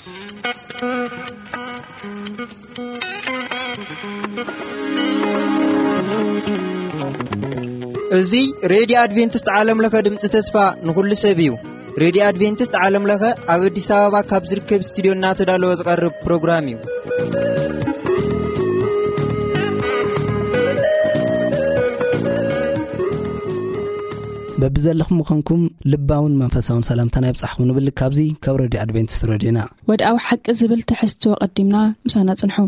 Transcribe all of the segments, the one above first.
እዚ ሬድዮ ኣድቬንቲስት ዓለም ለኸ ድምፂ ተስፋ ንኹሉ ሰብ እዩ። ሬድዮ ኣድቬንቲስት ዓለም ለኸ ኣብ ኣዲስ ኣበባ ካብ ዝርከብ ስቱዲዮ እናተዳለወ ዝቐርብ ፕሮግራም እዩ። በብዘለኹም ምዃንኩም ልባውን መንፈሳውን ሰላምታና ይብጻሕኩም ንብል። ካብዚ ካብ ሬድዮ ኣድቬንቲስት ሬድዮና። ወድኣዊ ሓቂ ዝብል ትሕዝቶ ቀዲምና ምሳና ጽንሑ።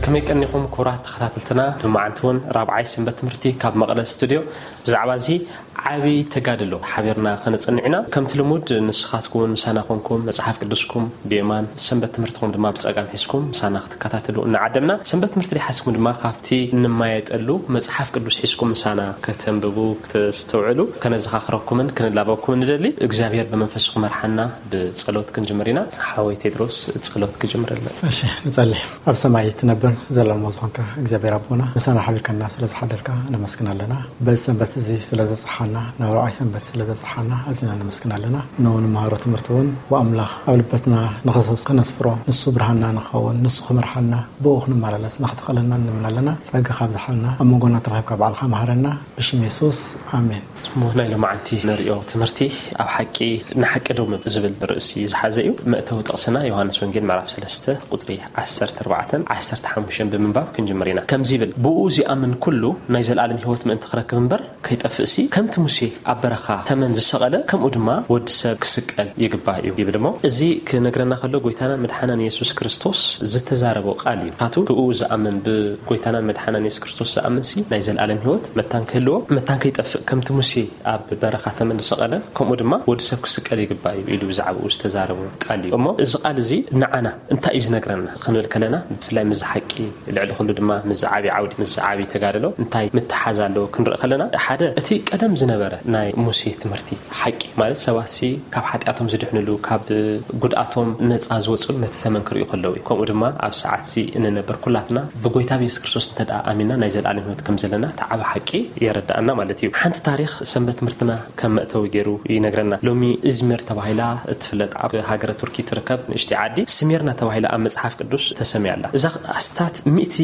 ከመይ ቀኒኹም ክቡራት ተኸታተልትና? ሎማዓንቲ እውን ራብዓይ ሰንበት ትምህርቲ ካብ መቐለ ስቱድዮ ብዛዕባ እዚ ዓቢ ተጋድሎ ሓቢርና ከነጽንዕ ኢና። ከምቲ ልሙድ ንስኻትኩም እውን ምሳና ኮንኩም መጽሓፍ ቅዱስኩም ብየማን ሰንበት ትምህርትኹም ድማ ብጸጋም ሒዝኩም ምሳና ክትከታተሉ እናዓደምና፣ ሰንበት ትምህርቲ ደይሓዝኩም ድማ ካብቲ እንማየጠሉ መጽሓፍ ቅዱስ ሒዝኩም ምሳና ከተንብቡ፣ ከተስተውዕሉ ከነዘኻኽረኩምን ክንላበኩምን ንደሊ። እግዚኣብሔር ብመንፈሱ ክመርሓና ብጸሎት ክንጅምር ኢና። ሓወይ ቴድሮስ ጸሎት ክጅምረልና። እሺ፣ ንጸሊ። ኣብ ሰማይ ትነብር ዘለሞ ዝኾንካ እግዚኣብሔር ኣቦና፣ ምሳና ሓቢርካና ስለ ዝሓደርካ ነመስግን ኣለና። በዚ ሰንበት እዚ ስለ ዘብጽሓና፣ ናብ ራብዓይ ሰንበት ስለ ዘብጽሓና ኣዚና ነመስግን ኣለና። ንመሃሮ ትምህርቲ እውን ብኣምላኽ ኣብ ልበትና ንኸሰስ-፣ ከነስፍሮ፣ ንሱ ብርሃንና ንኸውን፣ ንሱ ክመርሓና፣ ብኡ ክንመላለስ ንኽትኽእለና ንልምን ኣለና። ጸጋ ካብዝሓልና፣ ኣብ መንጎና ተረኺብካ ባዕልኻ መሃረና። ብሽም የሱስ፣ ኣሜን። እሞ ናይ ሎማዓንቲ ንርእዮ ትምህርቲ ኣብ ሓቂ ንሓቂ ደው ምብ ዝብል ርእሲ ዝሓዘ እዩ። መእተዊ ጥቕስና ዮሃንስ ወንጌል ምዕራፍ ሰለስተ ቁጽሪ ዓሰርተ ኣርባዕተን ዓሰርተ ሓሙሽተን ብምንባብ ክንጅምር ኢና። ከምዚ ይብል፣ "ብኡ ዚኣምን ኩሉ ናይ ዘለኣለም ህይወት ምእንቲ ክረክብ እምበር ከይጠፍእሲ፣ ከምቲ ሙሴ ኣብ በረኻ ተመን ዝሰቐለ፣ ከምኡ ድማ ወዲ ሰብ ክስቀል ይግባእ እዩ" ይብል። እሞ እዚ ክነግረና ከሎ ጎይታናን መድሓናን የሱስ ክርስቶስ ዝተዛረቦ ቃል እዩ። ካቱ ብኡ ዝኣምን፣ ብጎይታናን መድሓናን የሱስ ክርስቶስ ዝኣምንሲ ናይ ዘለኣለም ህይወት መታን ክህልዎ፣ መታን ከይጠፍእ፣ ከምቲ ሙሴ ኣብ በረኻ ተመን ዝሰቐለ፣ ከምኡ ድማ ወዲ ሰብ ክስቀል ይግባእ እዩ ኢሉ ብዛዕባኡ ዝተዛረቦ ቃል እዩ። እሞ እዚ ቃል እዚ ንዓና እንታይ እዩ ዝነግረና ክንብል ከለና፣ ብፍላይ ምስዚ ሓቂ፣ ልዕሊ ኩሉ ድማ ምስዚ ዓቢ ዓውዲ፣ ምስዚ ዓቢ ተጋድሎ እንታይ ምትሓዝ ኣለዎ ክንርኢ ከለና፣ ሓደ እቲ ቀደም ዝነበረ ናይ ሙሴ ትምህርቲ ሓቂ፣ ማለት ሰባትሲ ካብ ሓጢኣቶም ዝድሕንሉ፣ ካብ ጉድኣቶም ነጻ ዝወጽሉ ነቲ ተመን ክርእዩ ከለዉ እዩ። ከምኡ ድማ ኣብ ሰዓትሲ እንነብር ኩላትና ብጎይታ ብየሱስ ክርስቶስ እንተ ደኣ ኣሚንና ናይ ዘለኣለም ህይወት ከም ዘለና እቲ ዓቢ ሓቂ የረድኣና ማለት እዩ። ሓንቲ ታሪኽ ሰንበት ትምህርትና ከም መእተዊ ገይሩ ይነግረና። ሎሚ እዝሚር ተባሂላ እትፍለጥ ኣብ ሃገረ ቱርኪ ትርከብ ንእሽተይ ዓዲ ስሚርና ተባሂላ ኣብ መጽሓፍ ቅዱስ ተሰምያ ኣላ። እዛ ኣስታት ሚእቲ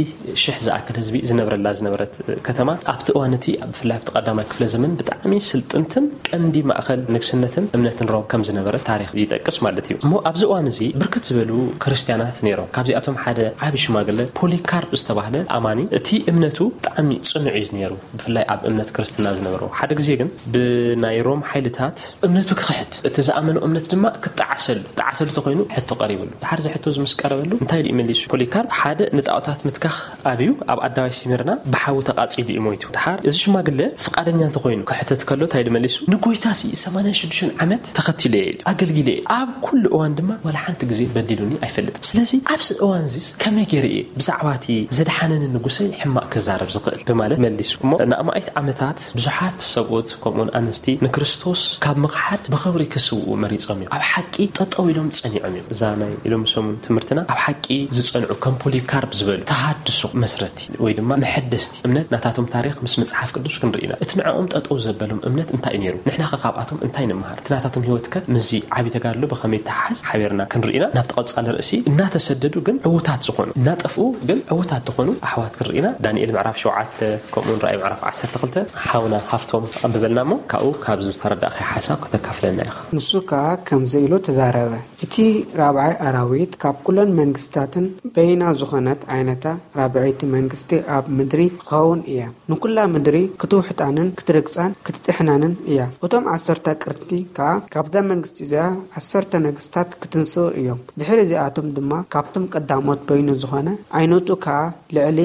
ሽሕ ዝኣክል ህዝቢ ዝነብረላ ዝነበረት ከተማ ኣብቲ እዋን እቲ ብፍላይ ኣብቲ ቀዳማይ ክፍለ ዘመን ብጣዕሚ ስልጥንትን ቀንዲ ማእኸል ንግስነትን እምነትን ሮም ከም ዝነበረት ታሪኽ ይጠቅስ ማለት እዩ። እሞ ኣብዚ እዋን እዚ ብርክት ዝበሉ ክርስትያናት ነይሮም። ካብዚኣቶም ሓደ ዓቢ ሽማግለ ፖሊካርፕ ዝተባህለ ኣማኒ እቲ እምነቱ ብጣዕሚ ጽኑዕ እዩ ነይሩ። ብፍላይ ኣብ እምነት ክርስትና ዝነበሮ። ሓደ ግዜ ግን ብናይ ሮም ሓይልታት እምነቱ ክኽሕድ፣ እቲ ዝኣመኖ እምነት ድማ ክጠዓሰሉ፣ ክጠዓሰሉ ተኾይኑ ሕቶ ቀሪብሉ። ድሓር እዚ ሕቶ እዚ ምስ ቀረበሉ እንታይ ኢሉ መሊሱ? ፖሊካርፕ ሓደ ንጣዖታት ምትካኽ ኣብዩ ኣብ ኣደባባይ ስሚርና ብሓዊ ተቓጺሉ እዩ ሞይቱ። ድሓር እዚ ሽማግለ ፍቓደኛ እንተኾይኑ ክሕተት ከሎ እንታይ ኢሉ መሊሱ? "ንጎይታሲ ሰማንያን ሽዱሽተን ዓመት ተኸቲለየ፣ ኣገልጊለየ፣ ኣብ ኩሉ እዋን ድማ ዋላ ሓንቲ ግዜ በዲሉኒ ኣይፈልጥን። ስለዚ ኣብዚ እዋን እዚስ ከመይ ገይረ እየ ብዛዕባ እቲ ዘድሓነኒ ንጉሰይ ሕማቕ ክዛረብ ዝኽእል?" ብማለት መሊሱ። እሞ ንኣማኢት ዓመታት ብዙሓት ሰብኡት ከምኡውን ኣንስቲ ንክርስቶስ ካብ ምኽሓድ ብኽብሪ ክስውኡ መሪጾም እዮም። ኣብ ሓቂ ጠጠው ኢሎም ጸኒዖም እዮም። እዛ ናይ ሎሚ ሰሙን ትምህርትና ኣብ ሓቂ ዝጸንዑ ከም ፖሊካርፕ ዝበሉ ተሃድሶ መስረቲ ወይ ድማ መሐደስቲ እምነት ናታቶም ታሪኽ ምስ መጽሓፍ ቅዱስ ክንርኢ ኢና። እቲ ንዕኦም ጠጠው ዘበሎም እምነት እንታይ እዩ ነይሩ? ንሕና ከ ካብኣቶም እንታይ ንምሃር? እቲ ናታቶም ህይወት ከ ምስዚ ዓቢ ተጋድሎ ብኸመይ ይተሓሓዝ? ሓቢርና ክንርኢ ኢና። ናብቲ ቀጻሊ ርእሲ እናተሰደዱ ግን ዕዉታት ዝኾኑ፣ እናጠፍኡ ግን ዕዉታት ዝኾኑ ኣሕዋት ክንርኢ ኢና። ዳንኤል ምዕራፍ ሸውዓተ ከምኡውን ራእይ ምዕራፍ ዓሰርተ ክልተ ሓውና ሃፍቶም ኣንብበልና እሞ ካብኡ ካብዚ ዝተረዳእካዮ ሓሳብ ከተካፍለና ኢኻ። ንሱ ከኣ ከምዚ ኢሉ ተዛረበ፣ እቲ ራብዓይ ኣራዊት ካብ ኩለን መንግስታትን በይና ዝኾነት ዓይነታ ራብዐይቲ መንግስቲ ኣብ ምድሪ ክትኸውን እያ። ንኩላ ምድሪ ክትውሕጣንን ክትርግጻን ክትጥሕናንን እያ። እቶም ዓሰርተ ኣቅርቲ ከኣ ካብዛ መንግስቲ እዚኣ ዓሰርተ ነገስታት ክትንስኡ እዮም። ድሕሪ እዚኣቶም ድማ ካብቶም ቀዳሞት በይኑ ዝኾነ ዓይነቱ ከኣ ልዕሊ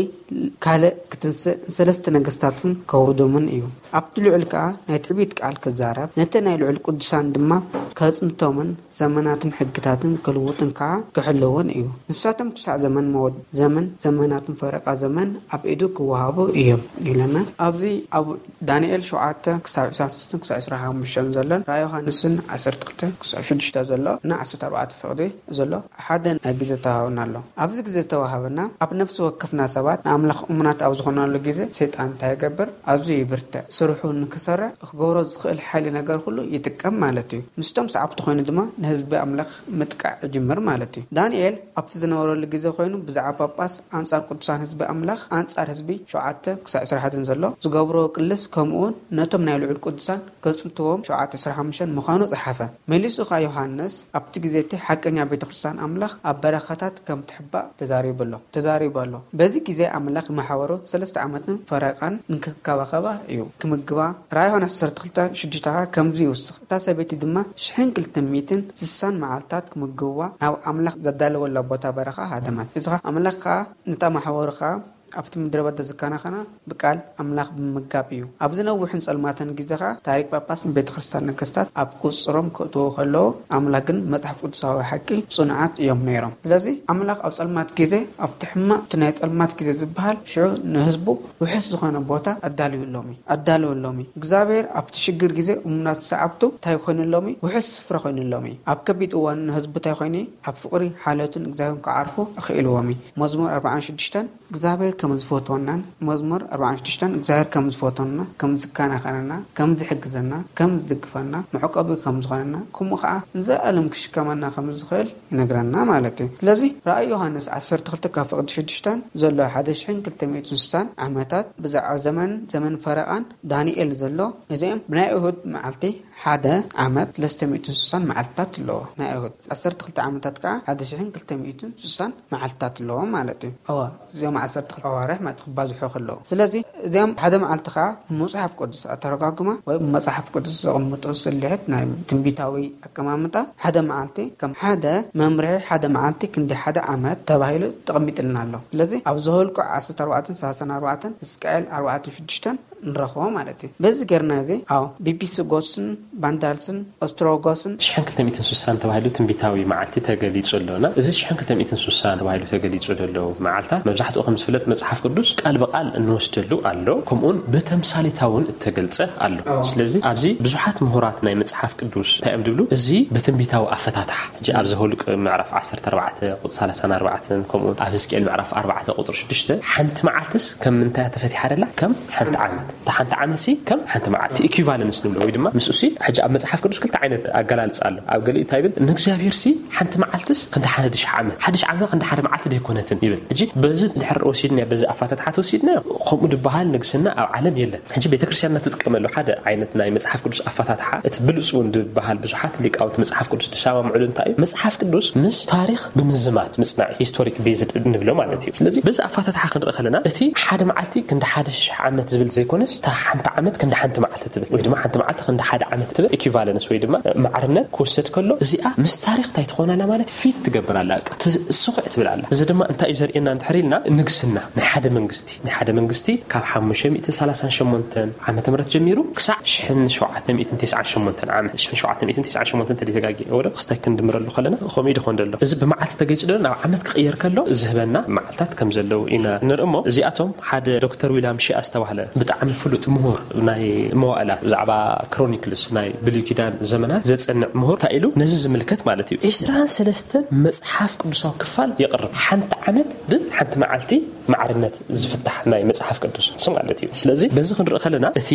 ካልእ ክትንስእ ንሰለስተ ነገስታት እውን ከውርዶምን እዩ። ኣብቲ ልዑል ከኣ ናይ ትዕቢት ቃል ክዛረብ፣ ነቲ ናይ ልዑል ቅዱሳን ድማ ከጽንቶምን ዘመናትን ሕግታትን ክልውጥን ከኣ ክሕልውን እዩ። ንሳቶም ክሳዕ ዘመን መወድ-፣ ዘመን ዘመናትን ፈረቓ ዘመን ኣብ ኢዱ ክወሃቡ እዮም ኢለና። ኣብዚ ኣብ ዳንኤል ሸውዓተ ክሳብ ዕስራን ሰለስተን ክሳብ ዕስራን ሓሙሽተን ዘሎን፣ ራእይ ዮሃንስን ዓሰርተ ክልተ ክሳብ ሽዱሽተ ዘሎ እና ዓሰርተ ኣርባዕተ ፍቕዲ ዘሎ ሓደ ናይ ግዜ ተዋህበና ኣሎ። ኣብዚ ግዜ ዝተዋህበና ኣብ ነፍሲ ወከፍና ሰባት ንኣምላኽ እሙናት ኣብ ዝኾናሉ ግዜ ሰይጣን እንታይ ይገብር? ኣዝዩ ይብርትዕ። ስርሑ ንክሰርሕ ክገብሮ ዝኽእል ሓይሊ ነገር ኩሉ ይጥቀም ማለት እዩ። ምስቶም ሰዓብቲ ኮይኑ ድማ ንህዝቢ ኣምላኽ ምጥቃዕ ይጅምር ማለት እዩ። ዳንኤል ኣብቲ ዝነበረሉ ግዜ ኮይኑ ብዛዕባ ጳጳስ ኣንጻር ቅዱሳን ህዝቢ ኣምላኽ፣ ኣንጻር ህዝቢ ሸውዓተ ክሳብ ዕስራን ሓደን ዘሎ ዝገብሮ ቅልስ፣ ከምኡውን ነቶም ናይ ልዑል ቅዱሳን ከጽንትዎም ሸውዓተ ዕስራን ሓሙሽተን ምዃኑ ጸሓፈ። መሊሱ ኸኣ ዮሃንስ ኣብቲ ግዜ እቲ ሓቀኛ ቤተ ክርስቲያን ኣምላኽ ኣብ በረኻታት ከም ትሕባእ ተዛሪቡ ኣሎ፣ ተዛሪቡ ኣሎ። በዚ ግዜ ኣምላኽ ንማሕበሩ ሰለስተ ዓመትን ፈረቓን እንክከባኸባ እዩ። ክምግባ ራእይ ዮሃንስ ዓሰርተ ክልተ ሽዱሽተ ኸኣ ከምዚ ይውስኽ። እታ ሰበይቲ ድማ ሽሕን ክልተ ሚእትን ስሳን መዓልታት ክምግብዋ ናብ ኣምላኽ ዘዳለወላ ቦታ በረኻ ሃደመት። እዚ ኸኣ ኣምላኽ ከኣ ነታ ማሕበሩ ኸኣ ኣብቲ ምድረ በዳ ዝከናኸና ብቃል ኣምላኽ ብምምጋብ እዩ። ኣብዚ ነዊሕን ጸልማትን ግዜ ኸኣ ታሪክ ጳጳስን ቤተ ክርስቲያን ነገስታት ኣብ ቁጽሮም ክእትዉ ከለዉ ኣምላኽ ግን መጽሓፍ ቅዱሳዊ ሓቂ ጽኑዓት እዮም ነይሮም። ስለዚ ኣምላኽ ኣብ ጸልማት ግዜ ኣብቲ ሕማቕ እቲ ናይ ጸልማት ግዜ ዝበሃል ሽዑ ንህዝቡ ውሑስ ዝኾነ ቦታ ኣዳልዩሎም እዩ፣ ኣዳልወሎም እዩ። እግዚኣብሔር ኣብቲ ሽግር ግዜ እሙናት ሰዓብቱ እንታይ ኮይኑሎም እዩ? ውሑስ ስፍራ ኮይኑሎም እዩ። ኣብ ከቢድ እዋን ንህዝቡ እንታይ ኮይኑ እዩ? ኣብ ፍቕሪ ሓለቱን እግዚኣብሔርን ክዓርፉ ኣኽኢልዎም እዩ። መዝሙር ኣርባዓን ሽዱሽተን እግዚኣብሔር ከም ዝፈትወናን መዝሙር ኣርባዓን ሽዱሽተን እግዚኣብሔር ከም ዝፈትወና፣ ከም ዝከናኸነና፣ ከም ዝሕግዘና፣ ከም ዝድግፈና፣ መዕቆቢ ከም ዝኾነና፣ ከምኡ ከዓ ንዘለኣለም ክሽከመና ከም ዝኽእል ይነግረና ማለት እዩ። ስለዚ ራእይ ዮሃንስ ዓሰርተ ክልተ ካብ ፍቕዲ ሽዱሽተን ዘሎ ሓደ ሽሕን ክልተ ሚእትን ስሳን ዓመታት ብዛዕባ ዘመን፣ ዘመን ፈረቓን ዳንኤል ዘሎ እዚኦም ብናይ እሁድ መዓልቲ ሓደ ዓመት ሰለስተ ሚእትን ስሳን መዓልትታት ኣለዎ። ናይ እሁድ ዓሰርተ ክልተ ዓመታት ከዓ ሓደ ሽሕን ክልተ ሚእትን ስሳን መዓልትታት ኣለዎ ማለት እዩ። እወ፣ እዚኦም ዓሰርተ ክልተ ኣዋርሕ ማለት ክባዝሑ ከለዉ። ስለዚ እዚኦም ሓደ መዓልቲ ከዓ ብመጽሓፍ ቅዱስ ኣተረጓጉማ ወይ ብመጽሓፍ ቅዱስ ዘቐምጡ ስልሒት ናይ ትንቢታዊ ኣቀማምጣ ሓደ መዓልቲ ከም ሓደ መምርሒ ሓደ መዓልቲ ክንዲ ሓደ ዓመት ተባሂሉ ተቐሚጥልና ኣሎ። ስለዚ ኣብ ዘኍልቁ ዓሰርተ ኣርባዕተን ሰላሳን ኣርባዕተን፣ ሕዝቅኤል ኣርባዕተን ሽዱሽተን ንረኽቦ ማለት እዩ። በዚ ጌርና እዚ ኣብ ቢቢሲ ጎስን ባንዳልስን ኦስትሮጎስን ሽሕን ክልተ ሚእትን ስሳን ተባሂሉ ትንቢታዊ መዓልቲ ተገሊጹ ኣሎ። እና እዚ ሽሕን ክልተ ሚእትን ስሳን ተባሂሉ ተገሊጹ ዘሎ መዓልታት መብዛሕትኡ ከም ዝፍለጥ መጽሓፍ ቅዱስ ቃል ብቃል እንወስደሉ ኣሎ። ከምኡውን ብተምሳሌታውን እተገልጸ ኣሎ። ስለዚ ኣብዚ ብዙሓት ምሁራት ናይ መጽሓፍ ቅዱስ እንታይ እዮም ዝብሉ? እዚ ብትንቢታዊ ኣፈታትሓ፣ ሕጂ ኣብ ዘኍልቁ ምዕራፍ ዓሰርተ ኣርባዕተ ቁጽሪ ሰላሳን ኣርባዕተን፣ ከምኡውን ኣብ ሕዝቅኤል ምዕራፍ ኣርባዕተ ቁጽሪ ሽዱሽተ፣ ሓንቲ መዓልትስ ከም ምንታይ ተፈቲሓ ደላ? ከም ሓንቲ ዓመት። እታ ሓንቲ ዓመት ሲ ከም ሓንቲ መዓልቲ፣ ኢኩቫለንስ ንብሎ፣ ወይ ድማ ምስኡ ሲ፣ ሕጂ ኣብ መጽሓፍ ቅዱስ ክልተ ዓይነት ኣገላልጻ ኣሎ። ኣብ ገሊኡ እንታይ ይብል? ንእግዚኣብሔር ሲ ሓንቲ መዓልትስ ክንዲ ሓደ ሽሕ ዓመት፣ ሓደ ሽሕ ዓመት ክንዲ ሓደ መዓልቲ ደይኮነትን ይብል። ሕጂ በዚ እንድሕር ወሲድና፣ በዚ ኣፈታትሓ ተወሲድና፣ ከምኡ ዝበሃል ንግስና ኣብ ዓለም የለን። ሕጂ ቤተክርስትያንና ትጥቀመሉ ሓደ ዓይነት ናይ መጽሓፍ ቅዱስ ኣፈታትሓ፣ እቲ ብሉጽ እውን ዝበሃል ብዙሓት ሊቃውንቲ መጽሓፍ ቅዱስ ዝሰማምዕሉ እንታይ እዩ? መጽሓፍ ቅዱስ ምስ ታሪኽ ብምዝማድ ምጽናዕ፣ ሂስቶሪክ ቤዝድ ንብሎ ማለት እዩ። ስለዚ በዚ ኣፈታትሓ ክንርኢ ከለና እቲ ሓደ መዓልቲ ክንዲ ሓደ ሽሕ ዓመት ዝብል ዘይኮነስ፣ እታ ሓንቲ ዓመት ክንዲ ሓንቲ መዓልቲ ትብል፣ ወይ ድማ ሓንቲ መዓልቲ ክንዲ ሓደ ዓመት ትብል ኢኩቫለንስ ወይ ድማ ማዕርነት ክውሰድ ከሎ፣ እዚኣ ምስ ታሪኽ እንታይ ትኾን ኣላ ማለት ፊት ትገብር ኣላ፣ በቃ ትስኹዕ ትብል ኣላ። እዚ ድማ እንታይ እዩ ዘርእየና እንድሕር ኢልና፣ ንግስና ናይ ሓደ መንግስቲ ናይ ሓደ መንግስቲ ካብ ሓሙሽተ ሚእትን ሰላሳን ሸሞንተን ዓመተ ምህረት ጀሚሩ ክሳዕ ሽሕን ሸውዓተ ሚእትን ተስዓን ሸሞንተን ዓመት፣ ሽሕን ሸውዓተ ሚእትን ተስዓን ሸሞንተን እንተደይተጋግየ ወረ ክስታይ ክንድምረሉ ከለና ከምኡ ዶ ይኾን ዘሎ? እዚ ብመዓልቲ ተገይጹ ዶ ናብ ዓመት ክቕየር ከሎ ዝህበና መዓልታት ከም ዘለዉ ኢና ንርኢ። እሞ እዚኣቶም ሓደ ዶክተር ዊልያም ሺኣ ዝተባህለ ብጣዕሚ ፍሉጥ ምሁር ናይ መዋእላት ብዛዕባ ክሮኒክልስ ናይ ብሉይ ኪዳን ዘመናት ዘጸንዕ ምሁር እንታይ ኢሉ ነዚ ዝምልከት ማለት እዩ። ዕስራን ሰለስተን መጽሓፍ ቅዱሳዊ ክፋል የቕርብ። ሓንቲ ዓመት ብሓንቲ መዓልቲ ማዕርነት ዝፍታሕ ናይ መጽሓፍ ቅዱስ ንሱ ማለት እዩ። ስለዚ በዚ ክንርኢ ከለና እቲ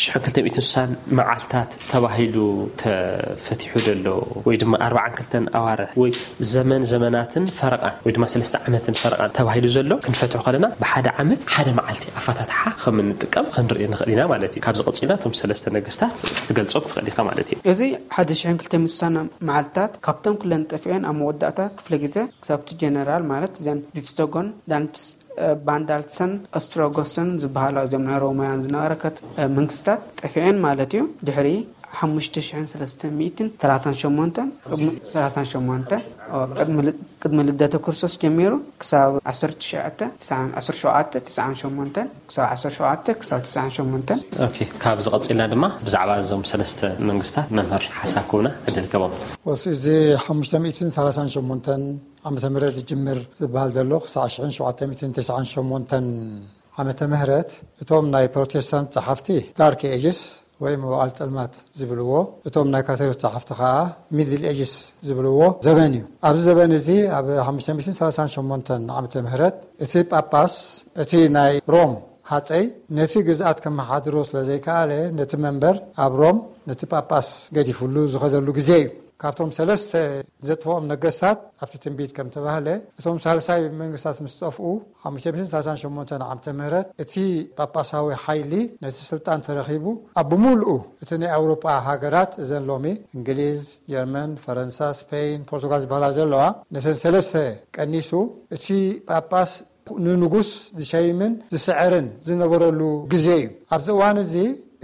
ሽሕን ክልተ ሚእትን ስሳን መዓልታት ተባሂሉ ተፈቲሑ ዘሎ ወይ ድማ ኣርባዓን ክልተን ኣዋርሕ ወይ ዘመን ዘመናትን ፈረቓን ወይ ድማ ሰለስተ ዓመትን ፈረቓን ተባሂሉ ዘሎ ክንፈትሖ ከለና ብሓደ ዓመት ሓደ መዓልቲ ኣፈታትሓ ከም እንጥቀም ክንርኢ ንኽእል ኢና ማለት እዩ። ካብዚ ቀጺልና እቶም ሰለስተ ነገስታት ክትገልጾም ትኽእል ኢኻ ማለት እዩ። እዚ ሓደ ሽሕን ክልተ ሚእትን ስሳን መዓልታት ካብቶም ኩለን ጠፊአን ኣብ መወዳእታ ክፍለ ግዜ ክሳብ እቲ ጀነራል ማለት እዘን ቢፍስቶጎን ዳንትስ ባንዳልሰን ኦስትሮጎስን ዝበሃላ እዚኦም ናይ ሮማውያን ዝነበረ ከት-፣ መንግስታት ጠፊአን ማለት እዩ። ድሕሪ ሓሙሽተ ሽሕን ሰለስተን ሚእትን ሰላሳን ሸሞንተን፣ ቅድሚ ሰላሳን ሸሞንተን፣ ኦ፣ ቅድሚ ል-፣ ቅድሚ ልደተ ክርስቶስ ጀሚሩ ክሳብ ዓሰርተ ትሽዓተ፣ ትስዓን፣ ዓሰርተ ሸውዓተ፣ ትስዓን ሸሞንተን፣ ክሳብ ዓሰርተ ሸውዓተ፣ ክሳብ ትስዓን ሸሞንተን። ኦኬ፣ ካብዚ ቀጺልና ድማ ብዛዕባ እዞም ሰለስተ መንግስታት መምህር ሓሳብ ክህቡና ዕድል ይከቦም። ወሲ እዚ ሓሙሽተ ሚእትን ሰላሳን ሸሞንተን ዓመተ ምህረት ዝጅምር ዝበሃል ዘሎ ክሳዕ ሽሕን ሸውዓተ ሚእትን ተስዓን ሸሞንተን ዓመተ ምህረት፣ እቶም ናይ ፕሮቴስታንት ጸሓፍቲ ዳርክ ኤጅስ ወይ መዋዕል ጸልማት ዝብልዎ፣ እቶም ናይ ካቶሊክ ጸሓፍቲ ከኣ ሚድል ኤጅስ ዝብልዎ ዘበን እዩ። ኣብዚ ዘበን እዚ ኣብ ሓሙሽተ ሚእትን ሰላሳን ሸሞንተን ዓመተ ምህረት እቲ ጳጳስ፣ እቲ ናይ ሮም ሃጸይ ነቲ ግዝኣት ከመሓድሮ ስለ ዘይከኣለ፣ ነቲ መንበር ኣብ ሮም ነቲ ጳጳስ ገዲፉሉ ዝኸደሉ ግዜ እዩ። ካብቶም ሰለስተ ዘጥፍኦም ነገስታት ኣብቲ ትንቢት ከም ተባህለ፣ እቶም ሳልሳይ መንግስታት ምስ ጠፍኡ፣ ሓሙሽተ ሚእትን ሰላሳን ሸሞንተን ዓመተ ምህረት እቲ ጳጳሳዊ ሓይሊ ነቲ ስልጣን ተረኺቡ፣ ኣብ ብምሉኡ እቲ ናይ ኣውሮጳ ሃገራት፣ እዘን ሎሚ እንግሊዝ፣ ጀርመን፣ ፈረንሳ፣ ስፔን፣ ፖርቱጋል ዝበሃላ ዘለዋ፣ ነተን ሰለስተ ቀኒሱ፣ እቲ ጳጳስ ንንጉስ ዝሸይምን ዝስዕርን ዝነበረሉ ግዜ እዩ። ኣብዚ እዋን እዚ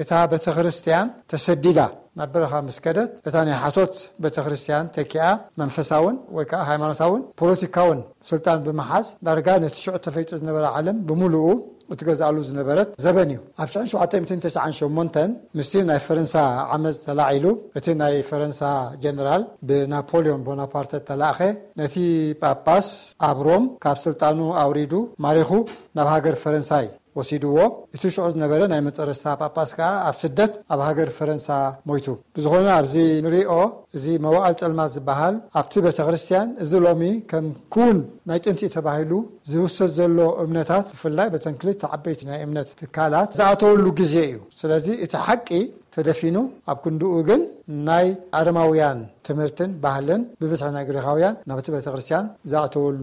እታ ቤተ ክርስቲያን ተሰዲዳ ናብ በረኻ ምስ ከደት፣ እታ ናይ ሓሶት ቤተ ክርስቲያን ተኪኣ፣ መንፈሳውን ወይ ከዓ ሃይማኖታውን ፖለቲካውን ስልጣን ብምሓዝ፣ ዳርጋ ነቲ ሽዑ ተፈይጡ ዝነበረ ዓለም ብምሉኡ እትገዝኣሉ ዝነበረት ዘበን እዩ። ኣብ ሽሕን ሸውዓተ ሚእትን ተስዓን ሸሞንተን ምስቲ ናይ ፈረንሳ ዓመፅ ተላዒሉ፣ እቲ ናይ ፈረንሳ ጀነራል ብናፖሊዮን ቦናፓርተ ተላእኸ፣ ነቲ ጳጳስ ኣብ ሮም ካብ ስልጣኑ ኣውሪዱ ማሪኹ ናብ ሃገር ፈረንሳይ ወሲድዎ። እቲ ሽዑ ዝነበረ ናይ መጨረስታ ጳጳስ ከኣ ኣብ ስደት ኣብ ሃገር ፈረንሳ ሞይቱ። ብዝኾነ ኣብዚ ንሪኦ፣ እዚ መዋእል ጸልማት ዝበሃል ኣብቲ ቤተ ክርስቲያን፣ እዚ ሎሚ ከም ክውን ናይ ጥንቲ እዩ ተባሂሉ ዝውሰድ ዘሎ እምነታት፣ ብፍላይ በተን ክልተ ዓበይቲ ናይ እምነት ትካላት ዝኣተወሉ ግዜ እዩ። ስለዚ እቲ ሓቂ ተደፊኑ፣ ኣብ ክንድኡ ግን ናይ ኣረማውያን ትምህርትን ባህልን ብብዝሒ ናይ ግሪኻውያን ናብቲ ቤተ ክርስቲያን ዝኣተወሉ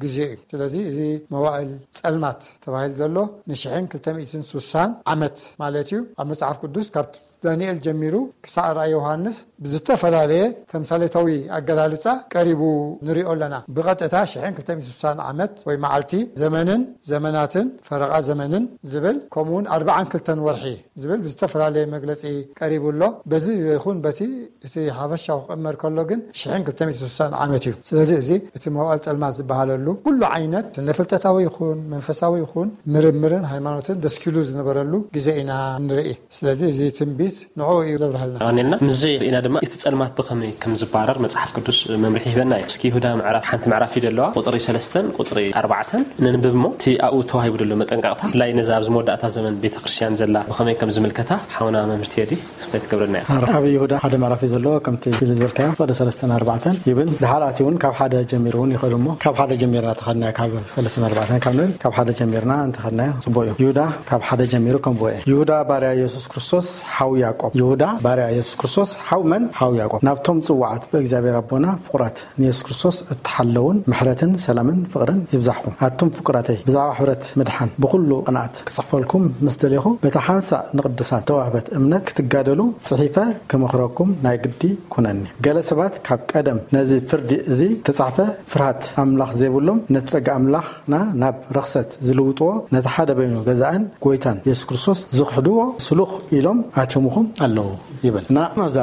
ግዜ እዩ። ስለዚ እዚ መዋእል ጸልማት ተባሂሉ ዘሎ ንሽሕን ክልተ ሚእትን ስሳን ዓመት ማለት እዩ። ኣብ መጽሓፍ ቅዱስ ካብ ዳንኤል ጀሚሩ ክሳዕ ራእይ ዮሃንስ ብዝተፈላለየ ተምሳሌታዊ ኣገላልጻ ቀሪቡ ንሪኦ ኣለና። ብቐጥታ ሽሕን ክልተ ሚእትን ስሳን ዓመት ወይ መዓልቲ፣ ዘመንን ዘመናትን ፈረቓ ዘመንን ዝብል፣ ከምኡውን ኣርብዓን ክልተን ወርሒ ዝብል ብዝተፈላለየ መግለጺ ቀሪቡ ኣሎ። በዚ ይኹን በቲ፣ እቲ ሓፈሻዊ ክቕመር ከሎ ግን ሽሕን ክልተ ሚእትን ስሳን ዓመት እዩ። ስለዚ እዚ እቲ መዋእል ጸልማት ዝበሃለሉ ኩሉ ዓይነት ስነ ፍልጠታዊ ይኹን መንፈሳዊ ይኹን ምርምርን ሃይማኖትን ደስኪሉ ዝነበረሉ ግዜ ኢና ንርኢ። ስለዚ እዚ ትንቢት ንዕኡ እዩ ዘብርሃልና። ቀኒልና ምስዚ ርኢና ድማ እቲ ጸልማት ብኸመይ ከም ዝባረር መጽሓፍ ቅዱስ መምርሒ ይህበና እዩ። እስኪ ይሁዳ ምዕራፍ፣ ሓንቲ ምዕራፍ እዩ ዘለዋ፣ ቁጽሪ ሰለስተን ቁጽሪ ኣርባዕተን ነንብብ እሞ፣ እቲ ኣብኡ ተዋሂቡ ዘሎ መጠንቀቕታ፣ ብፍላይ ነዛ ኣብዚ መወዳእታ ዘመን ቤተ ክርስቲያን ዘላ ብኸመይ ከም ዝምልከታ ሓውና መምህር ቴዲ ክስታይ ትገብረና ኢኻ። ኣብ ይሁዳ ሓደ ምዕራፍ እዩ ዘለዎ፣ ከምቲ ኢሉ ዝበልካዮ፣ ፍቕዲ ሰለስተን ኣርባዕተን ይብል። ድሓር ኣትዩ እውን ካብ ሓደ ጀሚሩ እውን ይኸዱ እሞ፣ ካብ ሓደ ጀሚርና ተኸድናዮ፣ ካብ ሰለስተን ኣርባዕተን ካብ ንብል፣ ካብ ሓደ ጀሚርና እንተኸድናዮ ጽቡቕ እዩ። ይሁዳ ካብ ሓደ ጀሚሩ ከንብቦ እየ። ይሁዳ ባርያ የሱስ ክርስቶስ ሓው ያዕቆብ። ይሁዳ ባርያ የሱስ ክርስቶስ ሓው መን? ሓው ያዕቆብ። ናብቶም ጽዋዓት ብእግዚኣብሔር ኣቦና ፍቑራት ንየሱስ ክርስቶስ እትሓለውን ምሕረትን ሰላምን ፍቕርን ይብዛሕኩም። ኣቱም ፍቁራተይ፣ ብዛዕባ ሕብረት ምድሓን ብኹሉ ቅንኣት ክጽሕፈልኩም ምስ ደሌኹ፣ በታ ሓንሳእ ንቅዱሳን ተዋህበት እምነት ክትጋደሉ ጽሒፈ ክመኽረኩም ናይ ግዲ ኩነኒ። ገለ ሰባት ካብ ቀደም ነዚ ፍርዲ እዚ ተጻሕፈ ፍርሃት ኣምላኽ ዘይብሎም፣ ነቲ ጸጋ ኣምላኽና ናብ ረኽሰት ዝልውጥዎ፣ ነቲ ሓደ በይኑ ገዛእን ጎይታን የሱስ ክርስቶስ ዝኽሕድዎ ስሉኽ ኢሎም ኣትዮምኹም ኣለዉ ይብል። እና ኣብዛ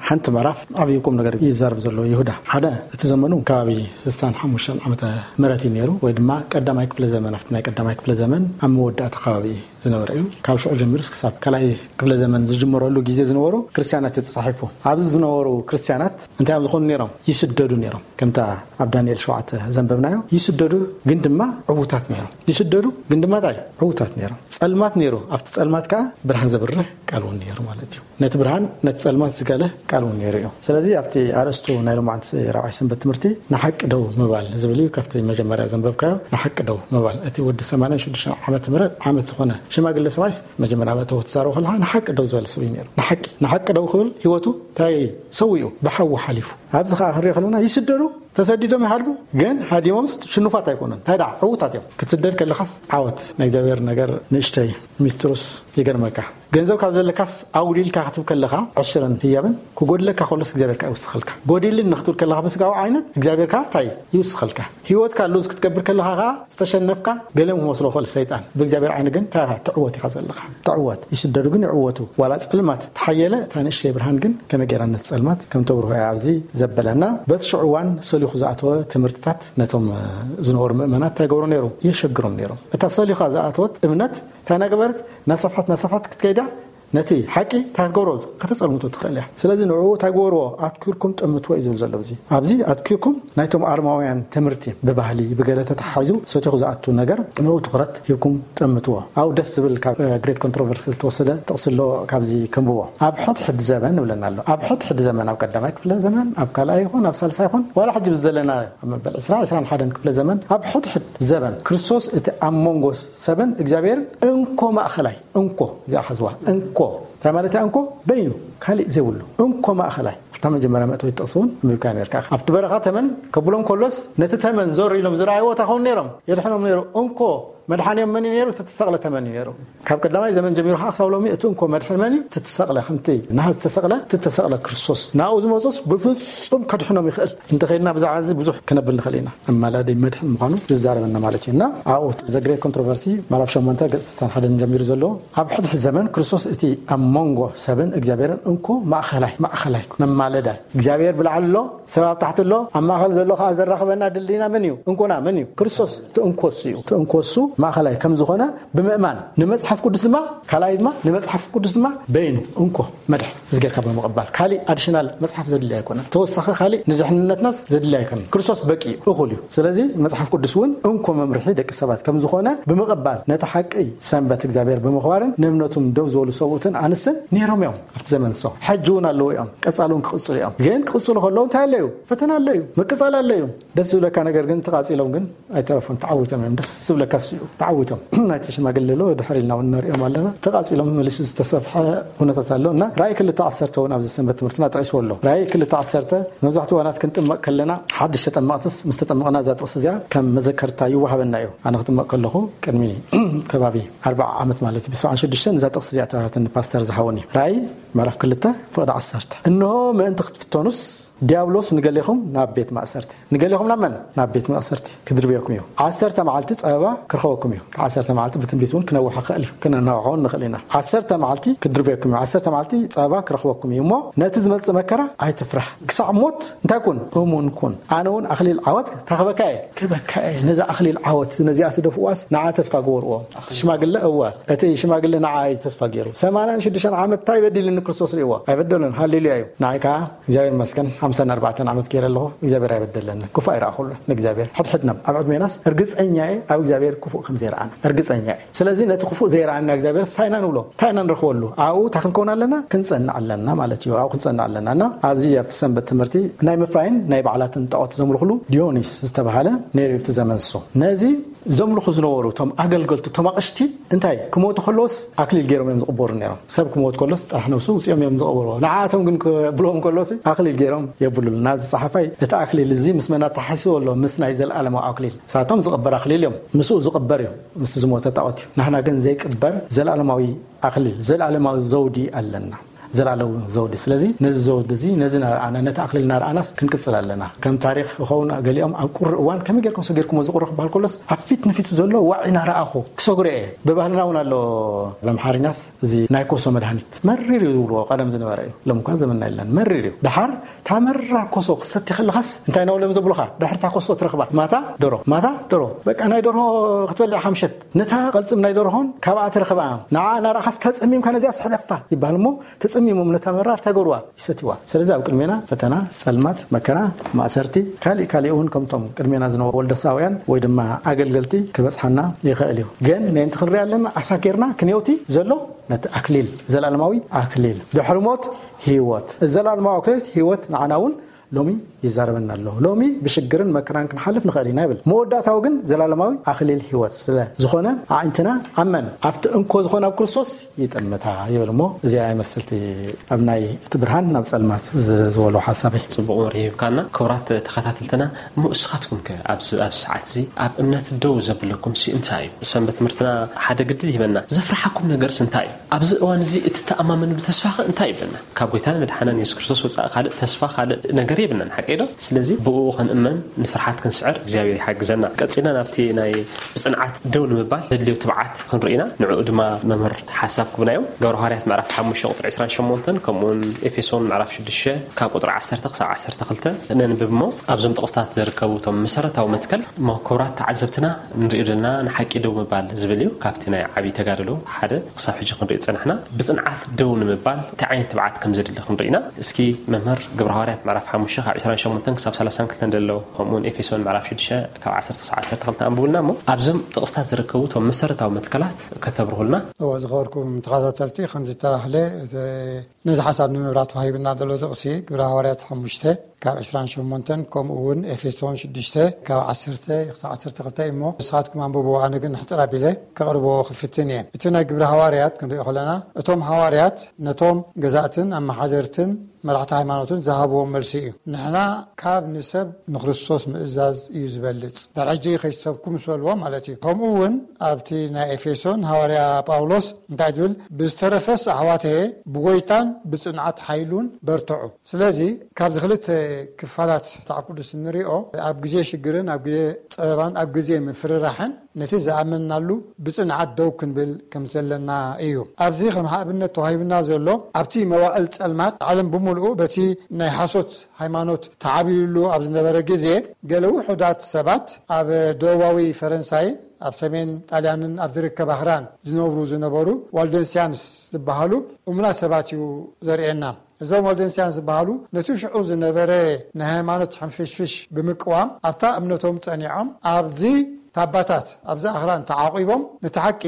ሓንቲ ምዕራፍ ዓብዪ ቁም ነገር ይዛረብ ዘሎ ይሁዳ። ሓደ፣ እቲ ዘመኑ ከባቢ ስሳን ሓሙሽተን ዓመተ ምህረት እዩ ነይሩ፣ ወይ ድማ ቀዳማይ ክፍለ ዘመን፣ ኣብቲ ናይ ቀዳማይ ክፍለ ዘመን ኣብ መወዳእታ ከባቢ እዩ ዝነበረ እዩ። ካብ ሽዑ ጀሚሩ ክሳብ ካልኣይ ክፍለ ዘመን ዝጅመረሉ ግዜ ዝነበሩ ክርስትያናት እዩ ተጻሒፉ። ኣብዚ ዝነበሩ ክርስትያናት እንታይ እዮም ዝኾኑ ነይሮም? ይስደዱ ነይሮም። ከምታ ኣብ ዳንኤል ሸውዓተ ዘንበብናዮ፣ ይስደዱ ግን ድማ ዕዉታት ነይሮም። ይስደዱ ግን ድማ እንታይ? ዕዉታት ነይሮም። ጸልማት ነይሩ፣ ኣብቲ ጸልማት ከኣ ብርሃን ዘብርህ ቃል እውን ነይሩ ማለት እዩ። ነቲ ብርሃን፣ ነቲ ጸልማት ዝጋለ ቃል እውን ነይሩ እዩ። ስለዚ ኣብቲ ኣርእስቱ ናይ ሎማዓንቲ ራብዓይ ሰንበት ትምህርቲ ንሓቂ ደው ምባል ዝብል እዩ። ካብቲ መጀመርያ ዘንበብካዮ ንሓቂ ደው ምባል፣ እቲ ወዲ ሰማንያን ሽዱሽተን ዓመት ምህረት ዓመት ዝኾነ ሽማግለ ሰብኣይስ መጀመርያ መእተዊ ክትዛረቡ ከለኻ ንሓቂ ደው ዝበለ ሰብ እዩ ነይሩ። ንሓቂ፣ ንሓቂ ደው ክብል ህይወቱ እንታይ ሰዊኡ ብሓዊ ሓሊፉ። ኣብዚ ከኣ ክንሪኦ ከለና ይስደዱ ተሰዲዶም ይሃድሙ፣ ግን ሃዲሞምስ ሽኑፋት ኣይኮኑን። እንታይ ደኣ ዕዉታት እዮም። ክትስደድ ከለኻስ ዓወት ናይ እግዚኣብሔር ነገር ንእሽተይ ሚስጥሩስ ይገርመካ። ገንዘብ ካብ ዘለካስ ኣውዲልካ ክትብ ከለኻ ዕሽርን ህያብን ክጎድለካ ከሎስ እግዚኣብሔር ከኣ ይውስኸልካ። ጎዲልን ንክትብል ከለኻ ብስጋዊ ዓይነት እግዚኣብሔር ከኣ እንታይ ይውስኸልካ። ህይወትካ ሉዝ ክትገብር ከለኻ ከኣ ዝተሸነፍካ ገለ ክመስሎ ክእል ሰይጣን። ብእግዚኣብሔር ዓይኒ ግን እንታይ ኢኻ ትዕወት ኢኻ ዘለኻ። ትዕወት። ይስደዱ ግን ይዕወቱ። ዋላ ጸልማት ተሓየለ እታ ንእሽተይ ብርሃን ግን ከመይ ገይራ ነቲ ጸልማት ከም ተብርሆ እያ ኣብዚ ዘበለና። በቲ ሽዑ እዋን ሰሊኹ ዝኣተወ ትምህርትታት ነቶም ዝነበሩ ምእመናት እንታይ ገብሮ ነይሩ? የሸግሮም ነይሩ። እታ ሰሊኻ ዝኣተወት እምነት እንታይ ናገበረት ናሰፍሐት ናሰፍሐት ክትከይዳ ነቲ ሓቂ እንታይ ክትገብሮ ከተጸልምቶ ትኽእል እያ። ስለዚ ንዕኡ እንታይ ግበርዎ? ኣትኪርኩም ጠምትዎ እዩ ዝብል ዘሎ። እዚ ኣብዚ ኣትኪርኩም ናይቶም ኣርማውያን ትምህርቲ ብባህሊ ብገለ ተተሓሒዙ ሰቲኹ ዝኣቱ ነገር ንኡ ትኹረት ሂብኩም ጠምትዎ። ኣብ ደስ ዝብል ካብ ግሬት ኮንትሮቨርሲ ዝተወሰደ ጥቕሲ ኣሎ። ካብዚ ከንብቦ። ኣብ ሕድሕድ ዘበን ይብለና ኣሎ። ኣብ ሕድሕድ ዘመን፣ ኣብ ቀዳማይ ክፍለ ዘመን፣ ኣብ ካልኣይ ይኹን ኣብ ሳልሳይ ይኹን፣ ዋላ ሕጂ ብዘለና ኣብ መበል ዕስራ ዕስራን ሓደን ክፍለ ዘመን፣ ኣብ ሕድሕድ ዘበን ክርስቶስ እቲ ኣብ መንጎ ሰብን እግዚኣብሔርን እንኮ ማእኸላይ፣ እንኮ እዚኣ ሓዝዋ፣ እንኮ እንታይ ማለት እያ? እንኮ በይኑ ካልእ ዘይብሉ እንኮ ማእኸላይ። ኣብታ መጀመርያ መእተዊ ጥቕሲ እውን ኣንቢብካ ነርካ። ኣብቲ በረኻ ተመን ከብሎም ከሎስ ነቲ ተመን ዞር ኢሎም ዝረኣይዎ እንታይ ኸውን ነይሮም? የድሕኖም ነይሩ። እንኮ መድሓኒኦም መን እዩ ነይሩ? እቲ ተሰቕለ ተመን እዩ ነይሩ። ካብ ቀዳማይ ዘመን ጀሚሩ ከዓ ክሳብ ሎሚ እቲ እንኮ መድሕን መን እዩ? እቲ ተሰቕለ፣ ከምቲ ናሃ ዝተሰቕለ፣ እቲ ተሰቕለ ክርስቶስ። ናብኡ ዝመፁስ ብፍጹም ከድሕኖም ይኽእል። እንተኸይድና ብዛዕባ እዚ ብዙሕ ክነብል ንኽእል ኢና። ኣማላዲ መድሕን ምዃኑ ዝዛረበና ማለት እዩ። እና ኣብኡ ዘግሬት ኮንትሮቨርሲ ምዕራፍ ሸሞንተ ገጽ ስሳን ሓደን ጀሚሩ ዘሎ፣ ኣብ ሕድሕድ ዘመን ክርስቶስ እቲ ኣብ መንጎ ሰብን እግዚኣብሔርን እንኮ ማእኸላይ፣ ማእኸላይ መማለዳይ፣ እግዚኣብሔር ብላዕሊ ኣሎ፣ ሰብ ኣብ ታሕቲ ኣሎ፣ ኣብ ማእኸል ዘሎ ከዓ ዘራኽበና ድልድይና መን እዩ? እንኮና መን እዩ? ክርስቶስ። እቲ እንኮ እሱ እዩ። እቲ እንኮ እሱ ማእኸላይ ከም ዝኾነ ብምእማን፣ ንመጽሓፍ ቅዱስ ድማ፣ ካልኣይ ድማ ንመጽሓፍ ቅዱስ ድማ በይኑ እንኮ መድሕን እዚ ጌርካ ብምቕባል፣ ካሊእ ኣዲሽናል መጽሓፍ ዘድሊ ኣይኮነን። ተወሳኺ ካሊእ ንድሕንነትናስ ዘድሊ ኣይኮነን። ክርስቶስ በቂ እዩ፣ እኹል እዩ። ስለዚ መጽሓፍ ቅዱስ እውን እንኮ መምርሒ ደቂ ሰባት ከም ዝኾነ ብምቕባል፣ ነቲ ሓቂ ሰንበት እግዚኣብሔር ብምኽባርን ንእምነቱም ደው ዝበሉ ሰብኡትን ኣንስትን ነይሮም እዮም። ኣብቲ ዘመን ንሶም ሕጂ እውን ኣለዉ እዮም። ቀጻሊ እውን ክቕጽሉ እዮም። ግን ክቕጽሉ ከለዉ እንታይ ኣሎ እዩ? ፈተና ኣሎ እዩ። ምቅጻል ኣሎ እዩ። ደስ ዝብለካ ነገር ግን ተቓጺሎም ግን ኣይተረፉን። ተዓዊቶም እዮም። ደስ ዝብለካ እሱ እዩ። ተዓዊቶም። ናይቲ ሽማግለ ኣሎ፣ ድሕር ኢልና እውን ንሪኦም ኣለና። ተቓጺሎም መሊሱ ዝተሰፍሐ ኩነታት ኣሎ እና ራእይ ክልተ ዓሰርተ እውን ኣብዚ ሰንበት ትምህርትና ጠቒስዎ ኣሎ። ራእይ ክልተ ዓሰርተ መብዛሕትኡ እዋናት ክንጥመቕ ከለና ሓድሽ ተጠመቕትስ ምስ ተጠመቕና እዛ ጥቕሲ እዚኣ ከም መዘከርታ ይወሃበና እዩ። ኣነ ክጥመቕ ከለኹ ቅድሚ ከባቢ ኣርባዓ ዓመት ማለት እዩ፣ ብሰብዓን ሽዱሽተን እዛ ጥቕሲ እዚኣ ተባህትኒ ፓስተር ዝሃወኒ። ራእይ ምዕራፍ ክልተ ፍቕዲ ዓሰርተ። እንሆ ምእንቲ ክትፍተኑስ ዲያብሎስ ንገሌኹም ናብ ቤት ማእሰርቲ፣ ንገሌኹም ናብ መን? ናብ ቤት ማእሰርቲ ክድርብየኩም እዩ። ዓሰርተ መዓልቲ ጸበባ ክረኽበኩም እዩ። ዓሰርተ መዓልቲ ብትንቢት እውን ክነውሖ ክእል እዩ፣ ክነናውሖ እውን ንኽእል ኢና። ዓሰርተ መዓልቲ ክድርብየኩም እዩ። ዓሰርተ መዓልቲ ጸበባ ክረኽበኩም እዩ እሞ ነቲ ዝመጽእ መከራ ኣይትፍራህ። ክሳዕ ሞት እንታይ ኩን? እሙን ኩን። ኣነ እውን ኣኽሊል ዓወት እንታይ ክበካ እየ? ክበካ እየ። ነዚ ኣኽሊል ዓወት ነዚኣ ትደፍእዋስ ንዓ ተስፋ ግበርዎ። እቲ ሽማግለ እወ፣ እቲ ሽማግለ ንዓ እዩ ተስፋ ገይሩ። ሰማንያን ሽዱሽተን ዓመት እንታይ በዲልኒ ክርስቶስ ርእይዎ? ኣይበደሎን። ሃሌሉያ እዩ። ንዓይ ከዓ እግዚኣብሔር ይመስገን ሓምሳን ኣርባዕተን ዓመት ገይረ ኣለኹ። እግዚኣብሔር ኣይበደለኒ። ክፉእ ኣይረኣኹሉ ንእግዚኣብሔር። ሕድሕድና ኣብ ዕድሜናስ እርግጸኛ እየ ኣብ እግዚኣብሔር ክፉእ ከም ዘይረኣና። እርግጸኛ እየ። ስለዚ ነቲ ክፉእ ዘይረኣና እግዚኣብሔር እንታይ ኢና ንብሎ? እንታይ ኢና ንረኽበሉ? ኣብኡ እንታይ ክንከውን ኣለና? ክንጸንዕ ኣለና ማለት እዩ። ኣብኡ ክንጸንዕ ኣለና። እና ኣብዚ ኣብቲ ሰንበት ትምህርቲ ናይ ምፍራይን ናይ በዓላትን ጣዖት ዘምልኹሉ ዲዮኒስ ዝተባሃለ ነይሩ እዩ ኣብቲ ዘመን ንሱ። ነዚ ዘምልኹ ዝነበሩ እቶም ኣገልገልቱ፣ እቶም ኣቕሽቲ እንታይ ክሞቱ ከለዎስ ኣክሊል ገይሮም እዮም ዝቕበሩ ነይሮም። ሰብ ክሞት ከሎስ ጥራሕ ነብሱ ውፅኦም እዮም ዝቕበርዎ። ንዓኣቶም ግን ክብሎም ከሎስ ኣክሊል ገይሮም የብሉልና። እዚ ጸሓፋይ እቲ ኣክሊል እዚ ምስ መን ኣተሓሒስዎ ኣሎ? ምስ ናይ ዘለኣለማዊ ኣክሊል። ንሳቶም ዝቕበር ኣክሊል እዮም። ምስኡ ዝቕበር እዮም። ምስቲ ዝሞተ ጣዖት እዩ። ናህና ግን ዘይቅበር ዘለኣለማዊ ኣክሊል፣ ዘለኣለማዊ ዘውዲ ኣለና። ዘላለም ዘውዲ። ስለዚ ነዚ ዘውዲ እዚ፣ ነዚ እናረኣና፣ ነቲ ኣክሊል እናረኣናስ ክንቅጽል ኣለና። ከም ታሪኽ ይኸውን፣ ገሊኦም ኣብ ቁሪ እዋን ከመይ ጌርኩም ሰጊርኩሞ እዚ ቁሪ ክበሃል ከሎስ ኣብ ፊት ንፊቱ ዘሎ ዋዒ እናረኣኹ ክሰግሮ እየ። ብባህልና እውን ኣሎ፣ ብኣምሓርኛስ እዚ ናይ ኮሶ መድሃኒት መሪር እዩ ዝብልዎ፣ ቀደም ዝነበረ እዩ። ሎም እኳ ዘመንና የለን፣ መሪር እዩ። ደሓር እታ መራር ኮሶ ክትሰቲ ከለኻስ እንታይ እናበሉ እዮም ዘብሉኻ? ድሕሪ እታ ኮሶ ትረኽባ ማታ ደሮ፣ ማታ ደሮ። በቃ ናይ ደርሆ ክትበልዕ ኢኻ ምሸት። ነታ ቅልጽም ናይ ደርሆን ካብኣ ትረኽባ ንዓ እናረኣኻስ ተጸሚምካ ነዚኣ ስሕለፋ ይበሃል እሞ ተጸሚሞም ነታ መራር እንታይ ገብርዋ? ይሰትይዋ። ስለዚ ኣብ ቅድሜና ፈተና፣ ጸልማት፣ መከራ፣ ማእሰርቲ፣ ካሊእ ካሊእ እውን ከምቶም ቅድሜና ዝነበሩ ወልደሳውያን ወይ ድማ ኣገልገልቲ ክበጽሓና ይኽእል እዩ። ግን ምእንቲ ክንሪኣ ኣለና ኣሳጊርና ክንየውቲ ዘሎ ነቲ ኣክሊል፣ ዘለኣለማዊ ኣክሊል። ድሕሪ ሞት ህይወት። እዚ ዘለኣለማዊ ኣክሊል ህይወት ንዓና እውን ሎሚ ይዛረበና ኣሎ። ሎሚ ብሽግርን መከራን ክንሓልፍ ንኽእል ኢና ይብል። መወዳእታዊ ግን ዘላለማዊ ኣኽሊል ህይወት ስለ ዝኾነ ኣዒንትና ኣብ መን? ኣብቲ እንኮ ዝኾነ ኣብ ክርስቶስ ይጠምታ ይብል። እሞ እዚኣ ይመስልቲ ኣብ ናይ እቲ ብርሃን ናብ ጸልማት ዝበሎ ሓሳበይ። ጽቡቕ መብርሂ ሂብካና። ክቡራት ተኸታተልትና፣ እሞ እስኻትኩም ከ ኣብዚ ኣብ ሰዓት እዚ ኣብ እምነት ደው ዘብለኩም ሲ እንታይ እዩ? ሰንበት ትምህርትና ሓደ ግድል ይበና። ዘፍርሓኩም ነገርስ እንታይ እዩ? ኣብዚ እዋን እዚ እቲ ተኣማመንሉ ተስፋኸ እንታይ ይብለና? ካብ ጎይታን መድሓናን የሱስ ክርስቶስ ወጻኢ ካልእ ተስፋ፣ ካልእ ነገር የብልናን፣ ሓቂ ዶ? ስለዚ ብእኡ ክንእመን፣ ንፍርሓት ክንስዕር እግዚኣብሔር ይሓግዘና። ቀጺልና ናብቲ ናይ ብጽንዓት ደው ንምባል ዘድልዮ ትብዓት ክንርኢ ኢና። ንዕኡ ድማ መምህር ሓሳብ ክብና እዮም። ግብረ ሃዋርያት ምዕራፍ ሓሙሽተ ቁጽሪ ዕስራን ሸሞንተን፣ ከምኡውን ኤፌሶን ምዕራፍ ሽዱሽተ ካብ ቁጽሪ ዓሰርተ ክሳብ ዓሰርተ ክልተ ነንብብ እሞ፣ ኣብዞም ጥቕስታት ዝርከቡ እቶም መሰረታዊ መትከል እሞ፣ ክቡራት ተዓዘብትና፣ ንሪኦ ዘለና ንሓቂ ደው ምባል ዝብል እዩ። ካብቲ ናይ ዓብዪ ተጋድሎ ሓደ ክሳብ ሕጂ ክንሪኦ ዝጸናሕና ብጽንዓት ደው ንምባል እንታይ ዓይነት ትብዓት ከም ዘድሊ ክንርኢ ኢና። እስኪ መምህር፣ ግብረ ሃዋርያት ምዕራፍ ሓሙሽተ ካብ ዕስራን ሸሞንተን ክሳብ ሰላሳን ክልተን ዘሎ፣ ከምኡውን ኤፌሶን ምዕራፍ ሽዱሽተ ካብ ዓሰርተ ክሳብ ዓሰርተ ክልተ ኣንብቡልና እሞ፣ ኣብዞም ጥቕስታት ዝርከቡ እቶም መሰረታዊ መትከላት ከተብርሁልና። እወ፣ ዝኸበርኩም ተኸታተልቲ፣ ከምዚ ዝተባህለ፣ እቲ ነዚ ሓሳብ ንምብራህ ተዋሂብና ዘሎ ጥቕሲ ግብረ ሃዋርያት ሓሙሽተ ካብ ዕስራን ሸሞንተን፣ ከምኡ እውን ኤፌሶን ሽዱሽተ ካብ ዓሰርተ ክሳብ ዓሰርተ ክልተ እዩ። እሞ ንስኻትኩም ኣንብብዎ፣ ኣነ ግን ሕጽር ኣቢለ ከቕርቦ ክፍትን እየ። እቲ ናይ ግብረ ሃዋርያት ክንሪኦ ከለና፣ እቶም ሃዋርያት ነቶም ገዛእትን ኣመሓደርትን መራሕቲ ሃይማኖትን ዝሃብዎም መልሲ እዩ። ንሕና ካብ ንሰብ ንክርስቶስ ምእዛዝ እዩ ዝበልጽ። ድሕሪ ሕጂ ከይትሰብኩ ምስ በልዎ ማለት እዩ። ከምኡ እውን ኣብቲ ናይ ኤፌሶን ሃዋርያ ጳውሎስ እንታይ ዝብል? "ብዝተረፈስ ኣሕዋተየ ብጎይታን ብጽንዓት ሓይሉን በርትዑ።" ስለዚ ካብዚ ክልተ ክፋላት መጽሓፍ ቅዱስ እንሪኦ፣ ኣብ ግዜ ሽግርን ኣብ ግዜ ጸበባን ኣብ ግዜ ምፍርራሕን ነቲ ዝኣመንናሉ ብጽንዓት ደው ክንብል ከም ዘለና እዩ። ኣብዚ ከም ኣብነት ተዋሂብና ዘሎ፣ ኣብቲ መዋእል ጸልማት ዓለም ብምልኡ በቲ ናይ ሓሶት ሃይማኖት ተዓብዩሉ ኣብ ዝነበረ ግዜ፣ ገለ ውሑዳት ሰባት ኣብ ደቡባዊ ፈረንሳይን ኣብ ሰሜን ጣልያንን ኣብ ዝርከብ ኣኽራን ዝነብሩ ዝነበሩ ዋልደንሲያንስ ዝበሃሉ እሙናት ሰባት እዩ ዘርእየና። እዞም ዋልደንሲያንስ ዝበሃሉ ነቲ ሽዑ ዝነበረ ናይ ሃይማኖት ሕንፍሽፍሽ ብምቅዋም ኣብታ እምነቶም ጸኒዖም፣ ኣብዚ ታባታት ኣብዚ ኣኽራን ተዓቂቦም ነቲ ሓቂ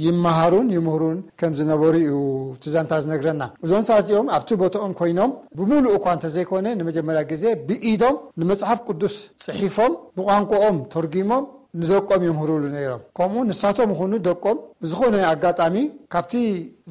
ይመሃሩን ይምህሩን ከም ዝነበሩ እዩ እቲ ዛንታ ዝነግረና። እዞም ሰባት እዚኦም ኣብቲ ቦታኦም ኮይኖም ብምሉእ እኳ እንተዘይኮነ ንመጀመርያ ግዜ ብኢዶም ንመጽሓፍ ቅዱስ ጽሒፎም ብቋንቋኦም ተርጒሞም ንደቆም የምህሩሉ ነይሮም። ከምኡ ንሳቶም ይኹኑ ደቆም ብዝኾነ ኣጋጣሚ ካብቲ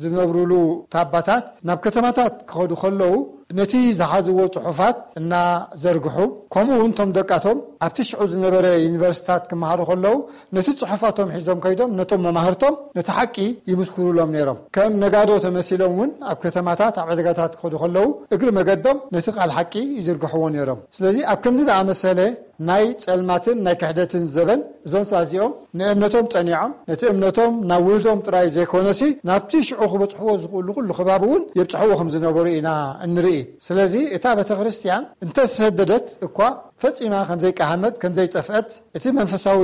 ዝነብሩሉ ታባታት ናብ ከተማታት ክኸዱ ከለዉ ነቲ ዝሓዝዎ ጽሑፋት እናዘርግሑ፣ ከምኡ እውን እቶም ደቃቶም ኣብቲ ሽዑ ዝነበረ ዩኒቨርሲታት ክመሃሩ ከለዉ ነቲ ጽሑፋቶም ሒዞም ከይዶም ነቶም መማህርቶም ነቲ ሓቂ ይምስክሩሎም ነይሮም። ከም ነጋዶ ተመሲሎም እውን ኣብ ከተማታት ኣብ ዕዳጋታት ክኸዱ ከለዉ እግሪ መገዶም ነቲ ቃል ሓቂ ይዝርግሕዎ ነይሮም። ስለዚ ኣብ ከምዚ ዝኣመሰለ ናይ ጸልማትን ናይ ክሕደትን ዘበን እዞም ሰባት እዚኦም ንእምነቶም ጸኒዖም፣ ነቲ እምነቶም ናብ ውሉዶም ጥራይ ዘይኮነሲ ናብቲ ሽዑ ክበጽሕዎ ዝኽእሉ ኩሉ ከባቢ እውን የብጽሕዎ ከም ዝነበሩ ኢና እንርኢ። ስለዚ እታ ቤተ ክርስቲያን እንተሰደደት እኳ ፈጺማ ከም ዘይቀሃመት፣ ከም ዘይጠፍአት፣ እቲ መንፈሳዊ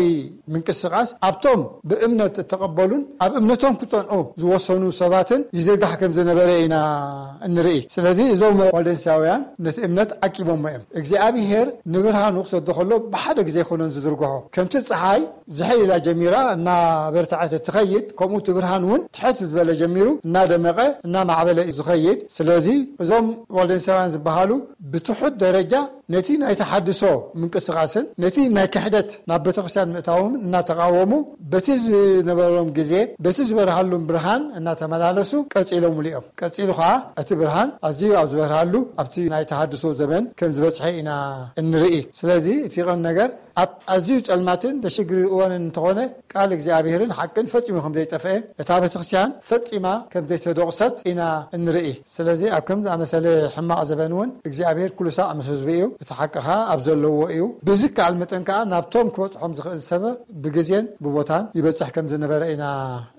ምንቅስቓስ ኣብቶም ብእምነት እተቐበሉን ኣብ እምነቶም ክጸንዑ ዝወሰኑ ሰባትን ይዝርጋሕ ከም ዝነበረ ኢና እንርኢ። ስለዚ እዞም ዋልደንሳውያን ነቲ እምነት ዓቂቦሞ እዮም። እግዚኣብሄር ንብርሃኑ ክሰዶ ከሎ ብሓደ ግዜ ኣይኮነን ዝዝርግሖ። ከምቲ ጸሓይ ዝሕል ኢላ ጀሚራ እናበርትዐት እትኸይድ፣ ከምኡ እቲ ብርሃን እውን ትሕት ዝበለ ጀሚሩ እናደመቐ እናማዕበለ እዩ ዝኸይድ። ስለዚ እዞም ዋልደንሳውያን ዝበሃሉ ብትሑት ደረጃ ነቲ ናይ ተሓድሶ ምንቅስቓስን ነቲ ናይ ክሕደት ናብ ቤተክርስትያን ምእታዎም እናተቃወሙ በቲ ዝነበሮም ግዜ በቲ ዝበርሃሉም ብርሃን እናተመላለሱ ቀጺሎምሉ እዮም። ቀጺሉ ኸዓ እቲ ብርሃን ኣዝዩ ኣብ ዝበርሃሉ ኣብቲ ናይ ተሃድሶ ዘመን ከም ዝበጽሐ ኢና እንርኢ። ስለዚ እቲ ቀንዲ ነገር ኣብ ኣዝዩ ጸልማትን ዘሽግር እዋንን እንተኾነ ቃል እግዚኣብሔርን ሓቅን ፈጺሙ ከም ዘይጠፍአ እታ ቤተክርስትያን ፈጺማ ከም ዘይተደቑሰት ኢና እንርኢ። ስለዚ ኣብ ከምዚ ኣመሰለ ሕማቕ ዘበን እውን እግዚኣብሔር ኩሉ ሳዕ ምስ ህዝቡ እዩ። እቲ ሓቂ ኸዓ ኣብ ዘለዎ እዩ። ብዝከኣል መጠን ከኣ ናብቶም ክበጽሖም ዝኽእል ሰብ ብግዜን ብቦታን ይበጽሕ ከም ዝነበረ ኢና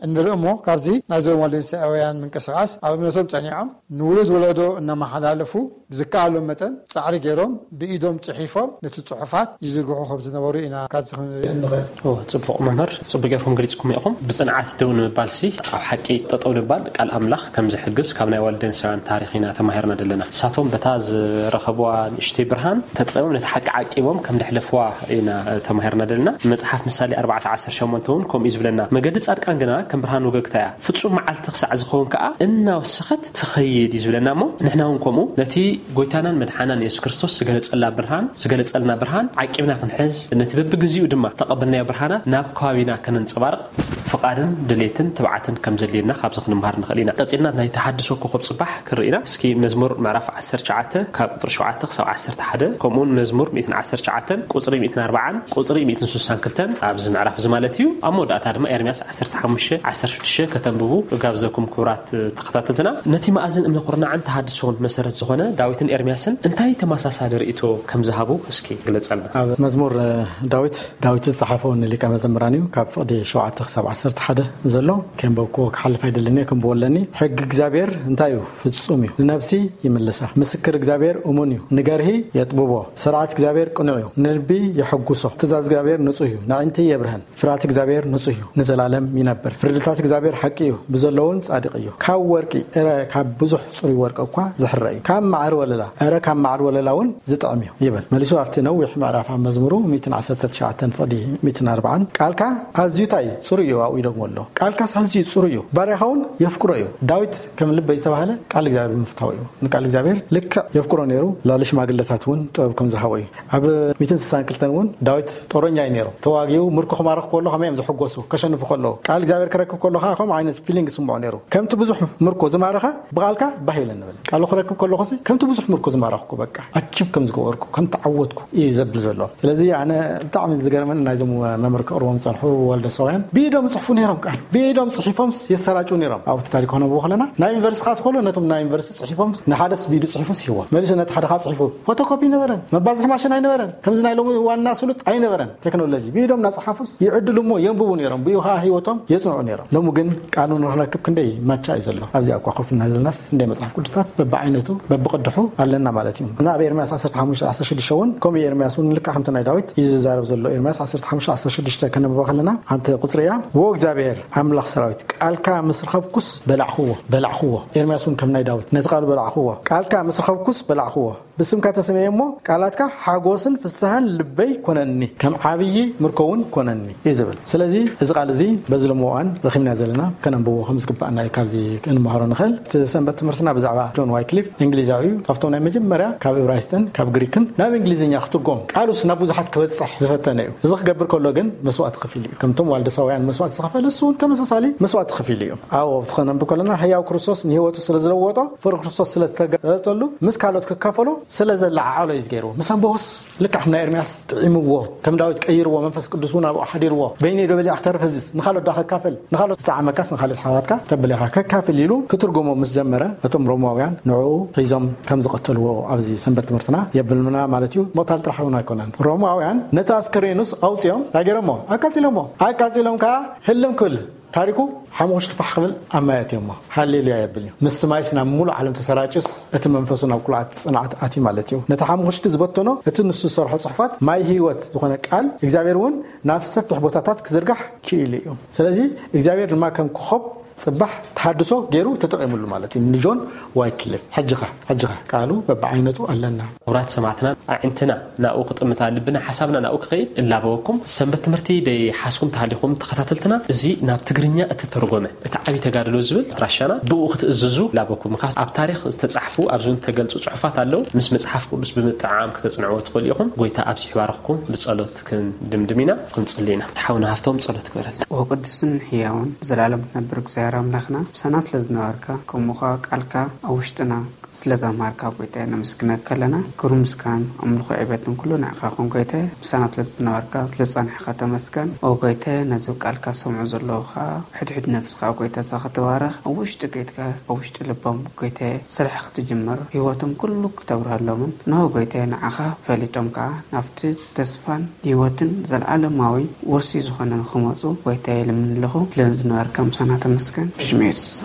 እንርኢ። እሞ ካብዚ ናይዞም ዋልደንሳውያን ምንቅስቓስ ኣብ እምነቶም ጸኒዖም ንውሉድ ወለዶ እናመሓላለፉ ብዝከኣሎም መጠን ጻዕሪ ገይሮም ብኢዶም ጽሒፎም ነቲ ጽሑፋት ይዝርግሑ ከም ዝነበሩ ኢና ካብዚ ክንርኢ እንኽእል። ኦ፣ ጽቡቕ መምህር፣ ጽቡቕ ጌርኩም ገሊጽኩም ኢኹም። ብጽንዓት ደው ንምባል ሲ ኣብ ሓቂ ጠጠው ንምባል ቃል ኣምላኽ ከም ዝሕግዝ ካብ ናይ ዋልደንሳውያን ታሪኽ ኢና ተማሂርና ዘለና። ንሳቶም በታ ዝረኸብዋ ንእሽተይ ብርሃን ተጠቒሞም ነቲ ሓቂ ዓቂቦም ከም ዘሕለፍዋ ኢና ተማሂርና ዘለና። መጽሓፍ ምሳሌ ኣርባዕተ ዓሰርተ ሸሞንተ እውን ከምኡ እዩ ዝብለና። መገዲ ጻድቃን ግና ከም ብርሃን ወገግታ እያ፣ ፍጹም መዓልቲ ክሳዕ ዝኸውን ከኣ እናወሰኸት ትኸይድ እዩ ዝብለና። እሞ ንሕና እውን ከምኡ ነቲ ጎይታናን መድሓናን የሱስ ክርስቶስ ዝገለጸላ ብርሃን ዝገለጸልና ብርሃን ዓቂብና ክንሕዝ፣ ነቲ በብግዚኡ ድማ ተቐበልናዮ ብርሃናት ናብ ከባቢና ከነንጸባርቕ ፍቓድን ድሌትን ትብዓትን ከም ዘድልየና ካብዚ ክንምሃር ንኽእል ኢና። ቀጺልና ናይ ተሓድሶ ኮኸብ ጽባሕ ክንርኢ ኢና። እስኪ መዝሙር ምዕራፍ ዓሰርተ ትሽዓተ ካብ ቁጽሪ ሸውዓተ ክሳብ ዓሰርተ ሓደ፣ ከምኡውን መዝሙር ሚእትን ዓሰርተ ትሽዓተን ቁጽሪ ሚእትን ኣርባዓን ቁጽሪ ሚእትን ስሳን ክልተን ኣብዚ ምዕራፍ እዚ ማለት እዩ። ኣብ መወዳእታ ድማ ኤርምያስ ዓሰርተ ሓሙሽተ ዓሰርተ ሽዱሽተ ከተንብቡ እጋብዘኩም ክቡራት ተኸታተልትና። ነቲ መኣዝን እምነ ኩርናዕን ተሃድሶን መሰረት ዝኾነ ዳዊትን ኤርምያስን እንታይ ተመሳሳሊ ርእይቶ ከም ዝሃቡ እስኪ ግለጸልና። ኣብ መዝሙር እ፣ ዳዊት ዳዊት ዝጸሓፈ ንሊቀ መዘምራን እዩ። ካብ ፍቕዲ ሸውዓተ ክሳብ ዓሰርተ ሓደ ዘሎ ከንበብክዎ ክሓልፍ ኣይደልን እየ፣ ከንብቦ ኣለኒ። ሕጊ እግዚኣብሔር እንታይ እዩ? ፍጹም እዩ፣ ንነብሲ ይምልሳ። ምስክር እግዚኣብሔር እሙን እዩ፣ ንገርሂ የጥብቦ። ስርዓት እግዚኣብሔር ቅኑዕ እዩ፣ ንልቢ የሐጉሶ። ትእዛዝ እግዚኣብሔር ንጹህ እዩ፣ ነዒንቲ የብርሀን። ፍርሃት እግዚኣብሔር ንጹህ እዩ፣ ንዘላለም ይነብር። ፍርድታት እግዚኣብሔር ሓቂ እዩ፣ ብዘለውን ጻድቕ እዩ። ካብ ወርቂ እረ ካብ ብዙሕ ጽሩይ ወርቂ እኳ ዝሕረ እዩ፣ ካብ ማዕር ወለላ እረ ካብ ማዕር ወለላ እውን ዝጥዕም እዩ ይብል። መሊሱ ኣብቲ ነዊሕ ምዕራፍ ኣብ መዝሙሩ ሚእትን ዓሰርተ ትሽዓተን ፍቕዲ ሚእትን ኣርባዓን ቃልካ ኣዝዩ እንታይ ጽሩይ እዩ ኣብኡ ይደግሞ ኣሎ። ቃልካስ ኣዝዩ ጽሩይ እዩ፣ ባርያኻ እውን የፍቅሮ እዩ። ዳዊት ከም ልበይ ዝተባህለ ቃል እግዚኣብሔር ብምፍታው እዩ። ንቃል እግዚኣብሔር ልክዕ የፍቅሮ ነይሩ። ላለ ሽማግለታት እውን ጥበብ ከም ዝሃቦ እዩ። ኣብ ሚእትን ስሳን ክልተን እውን ዳዊት ጦረኛ እዩ ነይሩ። ተዋጊኡ ምርኮ ክማርኽ ከሎ ከመይ እዮም ዝሕጎሱ ከሸንፉ ከለዉ። ቃል እግዚኣብሔር ክረክብ ከሎ ከዓ ከምኡ ዓይነት ፊሊንግ ይስምዖ ነይሩ። ከምቲ ብዙሕ ምርኮ ዝማረኸ ብቓልካ ባህ ይብለኒ በለ። ቃሉ ክረክብ ከለኹሲ ከምቲ ብዙሕ ምርኮ ዝማረኽኩ በቃ ኣቺቭ ከም ዝገበርኩ ከም ተዓወትኩ እዩ ዘብል ዘሎ። ስለዚ ኣነ ብጣዕሚ ዝገርመን ናይዞም መምህር ከቕርቦም ዝጸንሑ ወልደ ሰውያን ብኢዶም ይጽሕፉ ነይሮም። ቃል ብኢዶም ጽሒፎም የሰራጩ ነይሮም። ኣብቲ ታሪክ ክነብቦ ከለና ናይ ዩኒቨርሲቲ ክኣትው ከሎ ነቶም ናይ ዩኒቨርሲቲ ጽሒፎም ንሓደስ ብኢዱ ጽሒፉ ስሂቦ። መሊሱ ነቲ ሓደ ከዓ ጽሒፉ ፎቶኮፒ ነበረን፣ መባዝሒ ማሽን ኣይነበረን። ከምዚ ናይ ሎሚ ዋና ስሉጥ ኣይነበረን። ቴክኖሎጂ ብኢዶም እናጸሓፉስ ይዕድሉ እሞ የንብቡ ነይሮም። ብኡ ከዓ ህይወቶም የጽንዑ ነይሮም። ሎሚ ግን ቃሉ ንክንረክብ ክንደይ ማቻ እዩ ዘሎ። ኣብዚኣ እኳ ኮፍ እና ዘለናስ እንደ መጽሓፍ ቅዱሳት በብዓይነቱ በብቕድሑ ኣለና ማለት እዩ። እና ኣብ ኤርምያስ ዓሰርተ ሓሙሽተ ዓሰርተ ሽዱሽተ እውን ከምኡ ኤርምያስ እውን ልክዕ ከምቲ ናይ ዳዊት እዩ ዝዛረብ ዘሎ። ኤርምያስ ዓሰርተ ሓሙሽተ ዓሰርተ ሽዱሽተ ከነብባ ከለና ሓንቲ ቁጽሪ እያ። "ወ እግዚኣብሔር ኣምላኽ ሰራዊት ቃልካ ምስ ረኸብኩስ በላዕኽዎ፣ በላዕኽዎ።" ኤርምያስ እውን ከም ናይ ዳዊት ነቲ ቃሉ በላዕኽዎ። "ቃልካ ምስ ረኸብኩስ በላዕኽዎ። ብስምካ ተሰምየ እሞ ቃላትካ ሓጎስን ፍስሃን ልበይ ኮነኒ፣ ከም ዓብዪ ምርኮ እውን ኮነኒ" እዩ ዝብል። ስለዚ እዚ ቃል እዚ በዚ ሎሚ እዋን ረኺብና ዘለና ከነንብቦ ከም ዝግባኣና እዩ ካብዚ ክንመሃሮ ንኽእል። እቲ ሰንበት ትምህርትና ብዛዕባ ጆን ዋይክሊፍ እንግሊዛዊ እዩ። ካብቶም ናይ መጀመርያ ካብ እብራይስጥን ካብ ግሪክን ናብ እንግሊዝኛ ክትርጎም ቃሉስ ናብ ብዙሓት ክበጽሕ ዝፈተነ እዩ። እዚ ክገብር ከሎ ግን መስዋእቲ ከፊሉ እዩ። ከምቶም ዋልደሳውያን መስዋእቲ ዝኸፈለ እሱ እውን ተመሳሳሊ መስዋእቲ ከፊሉ እዩ። ኣብ ኣብቲ ከነንብብ ከለና ህያው ክርስቶስ ንህይወቱ ስለ ዝለወጦ ፍቕሪ ክርስቶስ ስለ ዝተገለጸሉ ምስ ካልኦት ክካፈሎ ስለ ዘለዓዓሎ እዩ ዝገይርዎ። ምስ ኣንበቦስ ልክዕ ከም ናይ ኤርምያስ ጥዒምዎ፣ ከም ዳዊት ቀይርዎ፣ መንፈስ ቅዱስ እውን ኣብኡ ሓዲርዎ። "በይነይ ዶ በሊዐ ክተርፍ እዚስ ንኻልኦት ዶ ከካፍል? ንኻልኦት ዝጠዓመካስ ንኻልኦት ኣሕዋትካ ተብለኻ ከካፍል" ኢሉ ክትርጎሞ ምስ ጀመረ እቶም ሮማውያን ንዕኡ ሒዞም ከም ዝቐተልዎ ኣብዚ ሰንበት ትምህርትና የብልምና ማለት እዩ። ምቕታል ጥራሕ እውን ኣይኮነን። ሮማውያን ነቲ ኣስከሬኑስ ኣውፅኦም እንታይ ገይሮሞ? ኣቃፂሎሞ። ኣቃፂሎም ከዓ ህልም ክብል ታሪኩ ሓሙኽሽቲ ፋሕ ክብል ኣብ ማይ ኣትዮሞ። ሃሌሉያ የብል እዩ። ምስቲ ማይስ ናብ ሙሉእ ዓለም ተሰራጭስ እቲ መንፈሱ ናብ ኩሉ ዓት ጽንዓት ኣትዩ ማለት እዩ። ነቲ ሓሙኽሽቲ ዝበተኖ እቲ ንሱ ዝሰርሖ ጽሑፋት ማይ ህይወት ዝኾነ ቃል እግዚኣብሔር እውን ናብ ሰፊሕ ቦታታት ክዝርጋሕ ክኢሉ እዩ። ስለዚ እግዚኣብሔር ድማ ከም ኮኸብ ጽባሕ ተሓድሶ ገይሩ ተጠቒሙሉ ማለት እዩ ንጆን ዋይክሊፍ። ሕጂ ኸ ሕጂ ኸ ቃሉ በብዓይነቱ ኣለና። ክቡራት ሰማዕትና ኣዒንትና ናብኡ ክጥምታ ልብና ሓሳብና ናብኡ ክኸይድ እላበወኩም። ሰንበት ትምህርቲ ደይሓዝኩም ተሃሊኹም ተኸታተልትና እዚ ናብ ትግርኛ እተተርጎመ እቲ ዓብዪ ተጋድሎ ዝብል ኣድራሻና ብኡ ክትእዝዙ እላበኩም። ምኽንያቱ ኣብ ታሪኽ ዝተጻሕፉ ኣብዚ እውን ተገልጹ ጽሑፋት ኣለዉ። ምስ መጽሓፍ ቅዱስ ብምጥዓም ክተጽንዕዎ ትኽእሉ ኢኹም። ጎይታ ኣብዚ ይባርኽኩም። ብጸሎት ክንድምድም ኢና። ክንጽሊ ኢና። ሓውና ሃፍቶም ጸሎት ግበረልና። ወቅዱስን ሕያውን ዘላለም ትነብር እግዚኣብሔር ኣምላኽና ምሳና ስለ ዝነበርካ ከምኡ ኸዓ ቃልካ ኣብ ውሽጥና ስለ ዘማርካ ጎይታይ ነመስግነካ ኣለና። ክብርን ምስጋናን ኣምልኾ ዕቤትን ኩሉ ንዕኻ ይኹን ጎይታይ። ምሳና ስለ ዝነበርካ ስለ ዝጸናሕካ ተመስገን። ኦ ጎይታይ ነዚ ቃልካ ዝሰምዑ ዘለዉ ኸዓ ሕድሕድ ነፍስኻ ጎይታ እዛ ክትባረኽ ኣብ ውሽጢ ቤትካ ኣብ ውሽጢ ልቦም ጎይታይ ስራሕ ክትጅምር ህይወቶም ኩሉ ክተብርሃሎምን እንሆ ጎይታይ ንዓኻ ፈሊጦም ከኣ ናብቲ ተስፋን ህይወትን ዘለዓለማዊ ውርሲ ዝኾነ ንኽመጹ ጎይታይ ይልምን ኣለኹ። ስለ ዝነበርካ ምሳና ተመስገን። ብሽም የሱስ።